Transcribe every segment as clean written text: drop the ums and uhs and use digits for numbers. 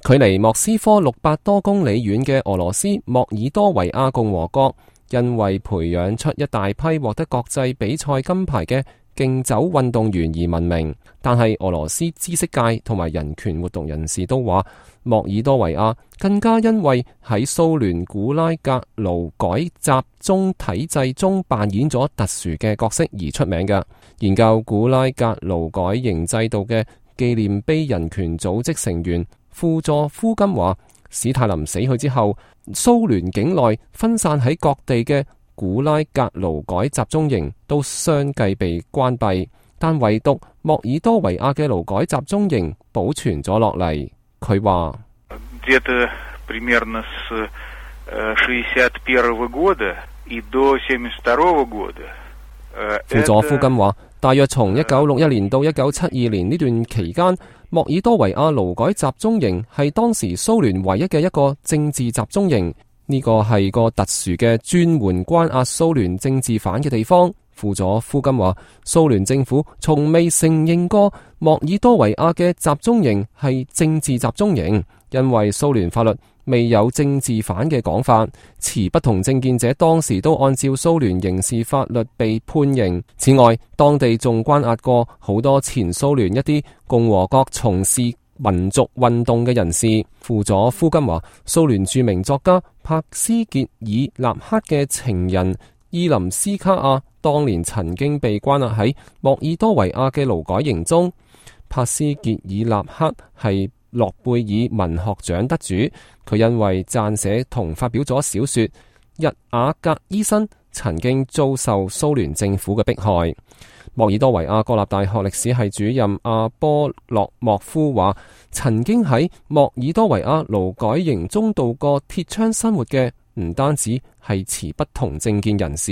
距離莫斯科600多公里遠嘅俄羅斯莫爾多維亞共和國，因為培養出一大批獲得國際比賽金牌嘅競走運動員而聞名。但係俄羅斯知識界同埋人權活動人士都話，莫爾多維亞更加因為喺蘇聯古拉格勞改集中體制中扮演咗特殊嘅角色而出名嘅。研究古拉格勞改營制度嘅紀念碑人權組織成員輔助夫金話，史太林死去之後，蘇聯境內分散喺各地嘅古拉格勞改集中營都相繼被關閉，但唯獨莫爾多維亞嘅勞改集中營保存咗落嚟。佢話輔佐夫金話，大約從1961年到1972年呢段期間，莫爾多維亞勞改集中營係當時蘇聯唯一嘅一個政治集中營，呢個係個特殊嘅專門關押蘇聯政治犯嘅地方。輔佐夫金話，蘇聯政府從未承認過莫爾多維亞嘅集中營係政治集中營，因為蘇聯法律未有政治犯嘅講法，持不同政見者當時都按照蘇聯刑事法律被判刑。此外，當地仲關押過好多前蘇聯一啲共和國從事民族運動嘅人士。輔佐夫金話，蘇聯著名作家帕斯傑爾納克嘅情人伊林斯卡亞當年曾經被關押喺莫爾多維亞嘅勞改營中。帕斯傑爾納克係諾貝爾文學獎得主，佢因為撰寫同發表咗小說《日瓦格醫生》，曾經遭受蘇聯政府嘅迫害。莫爾多維亞國立大學歷史系主任阿波洛莫夫話，曾經喺莫爾多維亞勞改營中度過鐵窗生活嘅唔單止係持不同政見人士。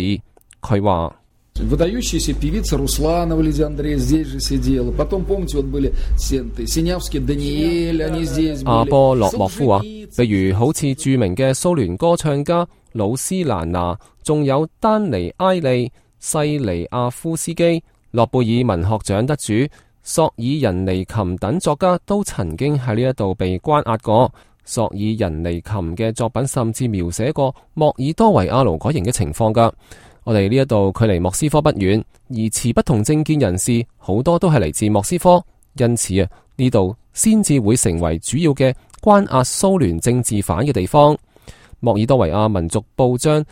佢話выдающаяся певица Русланова Лидия Андреевна здесь же сидела. Потом, помните, вот были Синявский, Даниэль, они здесь были. 阿波洛莫夫話，比如好似著名嘅蘇聯歌唱家魯斯蘭娜，仲有丹尼埃利、西尼亞夫斯基、諾貝爾文學獎得主索爾仁尼琴等作家都曾經喺呢一度被關押過。索爾仁尼琴嘅作品甚至描寫過莫爾多維亞勞改營嘅情況㗎。我哋呢一度距離莫斯科不遠，而持不同政見人士好多都係嚟自莫斯科，因此啊，呢度先至會成為主要嘅關押蘇聯政治犯嘅地方。莫爾多維亞民族報章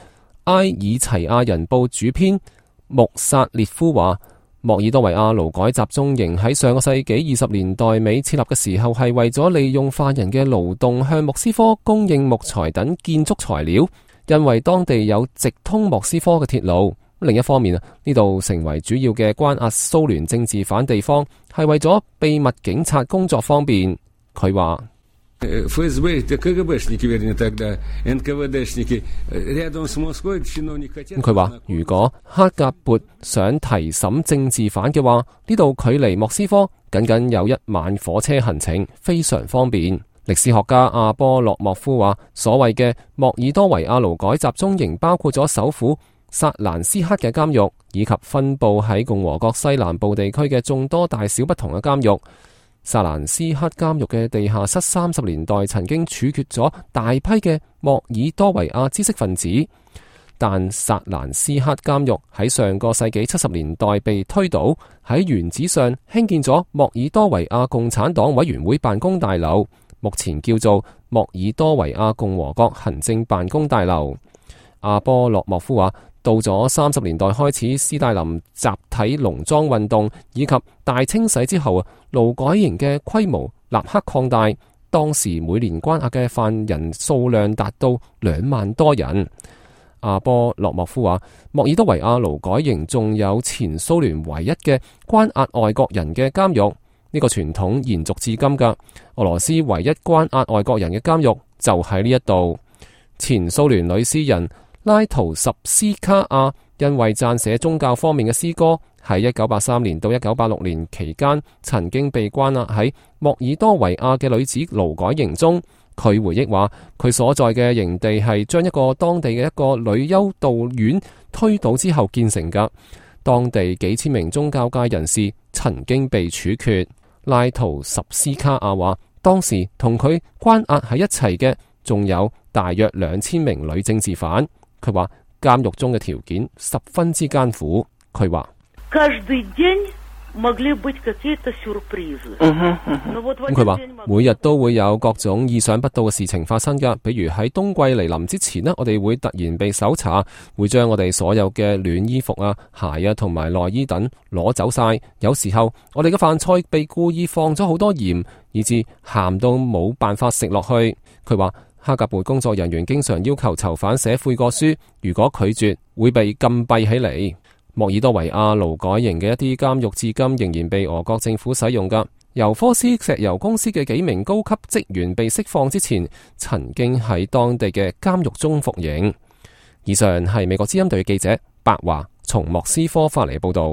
埃爾齊亞人報主編穆薩列夫話，莫爾多維亞勞改集中營喺上個世紀20年代尾設立嘅時候，係為咗利用犯人嘅勞動向莫斯科供應木材等建築材料。因為當地有直通莫斯科嘅鐵路，另一方面啊，呢度成為主要嘅關押蘇聯政治犯地方，係為咗秘密警察工作方便。佢話佢話如果克格勃想提審政治犯嘅話，呢度距離莫斯科僅僅有1晚火車行程，非常方便。歷史學家阿波洛莫夫話，所謂嘅莫爾多維亞勞改集中營包括咗首府薩蘭斯克嘅監獄，以及分布喺共和國西南部地區嘅眾多大小不同嘅監獄。薩蘭斯克監獄嘅地下室30年代曾經處決咗大批嘅莫爾多維亞知識分子，但薩蘭斯克監獄喺上個世紀70年代被推倒，喺原址上興建咗莫爾多維亞共產黨委員會辦公大樓，目前叫做莫爾多維亞共和國行政辦公大樓。阿波洛莫夫話，到咗30年代開始，斯大林集體農莊運動以及大清洗之後啊，勞改營嘅規模立刻擴大，當時每年關押嘅犯人數量達到2萬多人。阿波洛莫夫話，莫爾多維亞勞改營仲有前蘇聯唯一嘅關押外國人嘅監獄。呢個傳統延續至今噶，俄羅斯唯一關押外國人嘅監獄就喺呢一度。前蘇聯女詩人拉圖什斯卡亞因為撰寫宗教方面嘅詩歌，喺1983年到1986年期間，曾經被關押喺莫爾多維亞嘅女子勞改營中。佢回憶話，佢所在嘅營地係將一個當地嘅一個女修道院推倒之後建成噶，當地幾千名宗教界人士曾經被處決。拉圖什斯卡亞話，當時同佢關押喺一齊嘅仲有大約2000名女政治犯。佢話監獄中嘅條件十分之艱苦。佢話佢話每日都會有各種意想不到嘅事情發生㗎，比如喺冬季嚟臨之前呢，我哋會突然被搜查，會將我哋所有嘅暖衣服啊、鞋啊同埋內衣等攞走晒。有時候我哋嘅飯菜被故意放咗好多鹽，以致鹹到冇辦法食落去。佢話哈格貝工作人員經常要求囚犯寫悔過書，如果拒絕會被禁閉起嚟。莫爾多維亞勞改營嘅一啲監獄至今仍然被俄國政府使用㗎。尤科斯石油公司嘅幾名高級職員被釋放之前，曾經喺當地嘅監獄中服刑。以上係美國之音隊記者白華從莫斯科發嚟報道。